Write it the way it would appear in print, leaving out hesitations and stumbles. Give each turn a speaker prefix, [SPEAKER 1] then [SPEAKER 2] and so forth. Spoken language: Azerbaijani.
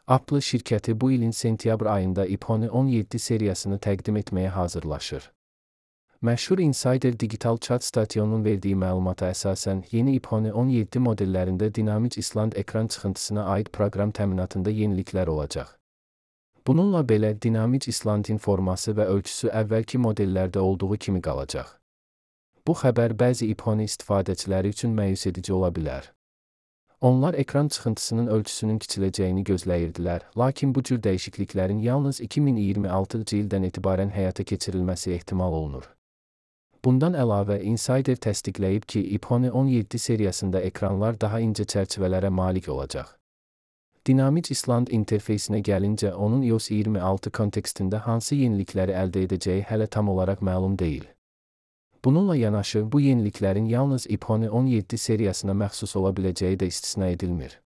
[SPEAKER 1] Apple şirkəti bu ilin sentyabr ayında iPhone 17 seriyasını təqdim etməyə hazırlaşır. Məşhur Insider Digital Chat stasyonunun verdiyi məlumata əsasən, yeni iPhone 17 modellərində dinamik island ekran çıxıntısına aid proqram təminatında yeniliklər olacaq. Bununla belə, dinamik islandin forması və ölçüsü əvvəlki modellərdə olduğu kimi qalacaq. Bu xəbər bəzi iPhone istifadəçiləri üçün məyus edici ola bilər. Onlar ekran çıxıntısının ölçüsünün kiçiləcəyini gözləyirdilər, lakin bu cür dəyişikliklərin yalnız 2026-cı ildən etibarən həyata keçirilməsi ehtimal olunur. Bundan əlavə, Insider təsdiqləyib ki, iPhone 17 seriyasında ekranlar daha incə çərçivələrə malik olacaq. Dinamik island interfeysinə gəlincə, onun iOS 26 kontekstində hansı yenilikləri əldə edəcəyi hələ tam olaraq məlum deyil. Bununla yanaşı, bu yeniliklərin yalnız iPhone 17 seriyasına məxsus ola biləcəyi də istisna edilmir.